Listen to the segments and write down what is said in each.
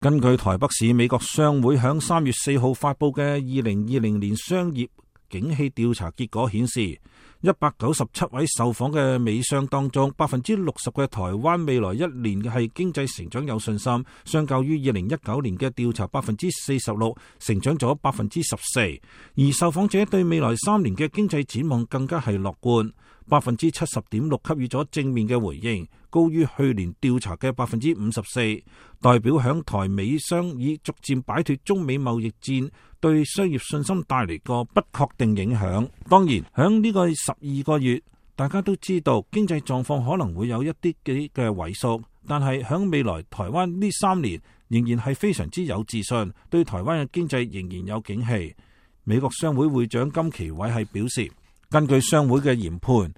根據台北市美國商會響3月4號發佈嘅2020年商業景氣調查結果顯示，197位受訪嘅美商當中，60%嘅台灣未來一年係經濟成長有信心，相較於2019年嘅調查46%成長咗14%，而受訪者對未來3年嘅經濟展望更加係樂觀，70.6%給予咗正面嘅回應，高於去年調查嘅54%，代表響台美商已逐漸擺脫中美貿易戰對商業信心帶嚟個不確定影響。當然，響呢個12個月，大家都知道經濟狀況可能會有一啲嘅萎縮，但係響未來台灣呢3年仍然係非常之有自信，對台灣嘅經濟仍然有景氣。美國商會會長金奇偉係表示，根據商會嘅研判，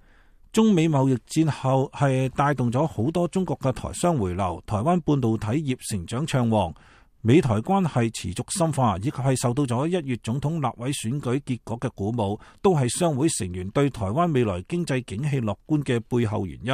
中美貿易戰後係帶動咗好多中國嘅台商回流，台灣半導體業成長暢旺，美台關係持續深化，以及係受到咗1月總統立委選舉結果嘅鼓舞，都係商會成員對台灣未來經濟景氣樂觀嘅背後原因。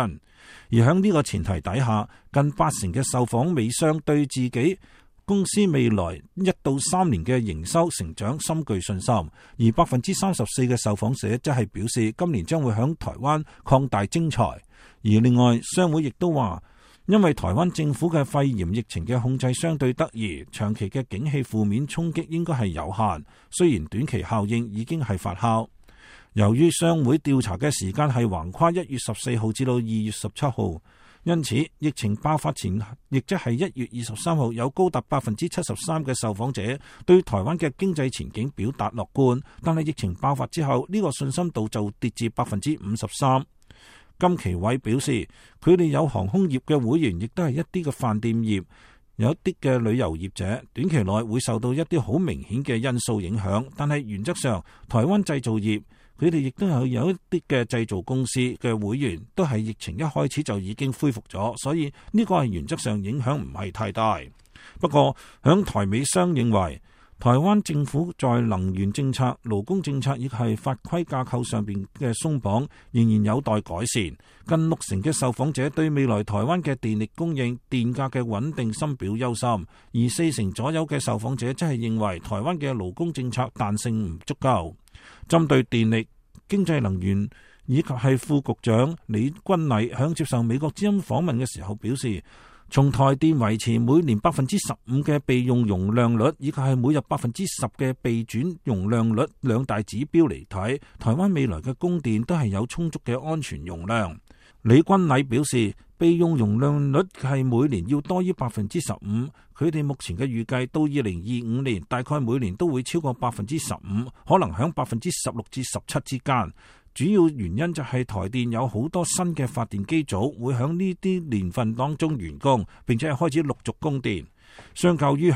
而喺呢個前提底下，近80%嘅受訪美商對自己公司未來1到3年嘅營收成長深具信心，而34%嘅受訪者則係表示今年將會響台灣擴大徵才。而另外，商會亦都話，因為台灣政府嘅肺炎疫情嘅控制相對得宜，長期嘅景氣負面衝擊應該係有限，雖然短期效應已經係發酵。由於商會調查嘅時間係橫跨1月14號至到2月17號，因此疫情爆發前，亦即係1月23號，有高達73%嘅受訪者對台灣嘅經濟前景表達樂觀，但係疫情爆發之後，呢個信心度就跌至53%。金奇偉表示，佢哋有航空業嘅會員，亦都係一啲嘅飯店業，有一啲嘅旅遊業者，短期內會受到一啲好明顯嘅因素影響，但係原則上，台灣製造業佢哋亦都有一啲嘅製造公司嘅會員，都係疫情一開始就已經恢復咗，所以呢個係原則上影響唔係太大。不過，響台美商認為，台灣政府在能源政策、勞工政策以及係法規架構上邊嘅鬆綁仍然有待改善。近60%嘅受訪者對未來台灣嘅電力供應、電價嘅穩定深表憂心，而40%左右嘅受訪者則係認為台灣嘅勞工政策彈性唔足夠。針對電力、經濟能源以及係副局長李君禮響接受美國之音訪問嘅時候表示，從台電維持每年15%嘅備用容量率，以及係每日10%嘅備轉容量率兩大指標嚟睇，台灣未來嘅供電都係有充足嘅安全容量。李君禮表示，備用容量率係每年要多於15%，佢哋目前嘅預計到2025年大概每年都會超過15%，可能響16%至17%之間。主要原因就係台電有好多新嘅發電機組會響呢啲年份當中完工，並且係開始陸續供電。相較於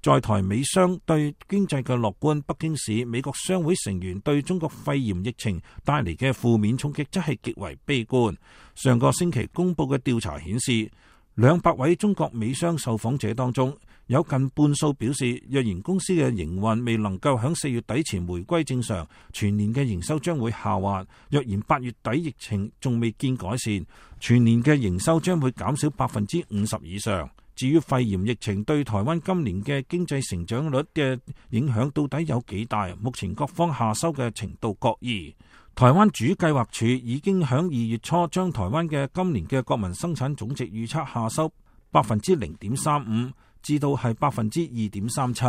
在台美商對經濟嘅樂觀，北京市美國商會成員對中國肺炎疫情帶嚟嘅負面衝擊則係極為悲觀。上個星期公佈嘅調查顯示，200位中國美商受訪者當中，有近半數表示，若然公司嘅營運未能夠喺4月底前回歸正常，全年嘅營收將會下滑；若然8月底疫情仲未見改善，全年嘅營收將會減少50%以上。至於肺炎疫情對台灣今年嘅經濟成長率嘅影響到底有幾大？目前各方下修嘅程度各異。台灣主計劃處已經喺2月初將台灣嘅今年嘅國民生產總值預測下修0.35%至到係2.37%，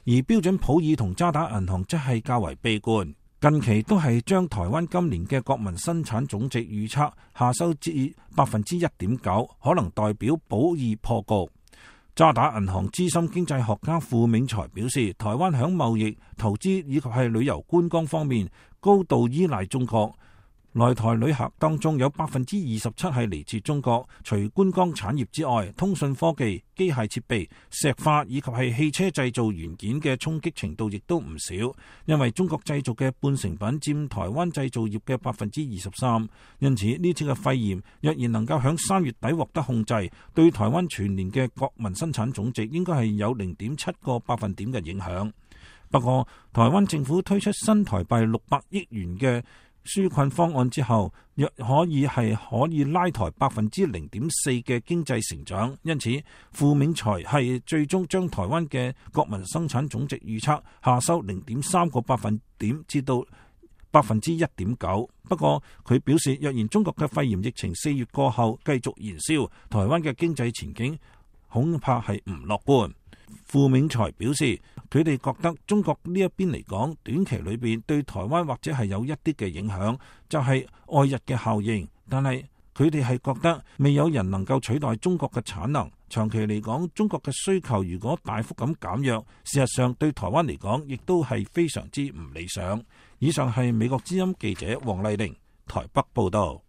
而標準普爾同渣打銀行則係較為悲觀，近期都係將台灣今年嘅國民生產總值預測下修至1.9%，可能代表普爾破局。渣打銀行資深經濟學家傅銘才表示，台灣響貿易、投資以及係旅遊觀光方面高度依賴中國。來台旅客當中有27%係嚟自中國，除觀光產業之外，通訊科技、機械設備、石化以及係汽車製造元件嘅衝擊程度亦都唔少，因為中國製造嘅半成品佔台灣製造業嘅23%。因此呢次嘅肺炎若然能夠響3月底獲得控制，對台灣全年嘅國民生產總值應該係有0.7個百分點嘅影響。不過台灣政府推出新台幣600億元嘅紓困方案之後，若可以拉抬0.4%嘅經濟成長。因此，傅銘才係最終將台灣嘅國民生產總值預測下修0.3個百分點至到1.9%。不過佢表示，若然中國嘅肺炎疫情4月過後繼續燃燒，台灣嘅經濟前景恐怕係唔樂觀。傅銘才表示，佢哋覺得中國呢一邊嚟講，短期裏邊對台灣或者係有一啲嘅影響，就係外日嘅效應。但係佢哋係覺得未有人能夠取代中國嘅產能。長期嚟講，中國嘅需求如果大幅咁減弱，事實上對台灣嚟講，亦都係非常之唔理想。以上係美國之音記者黃麗玲台北報道。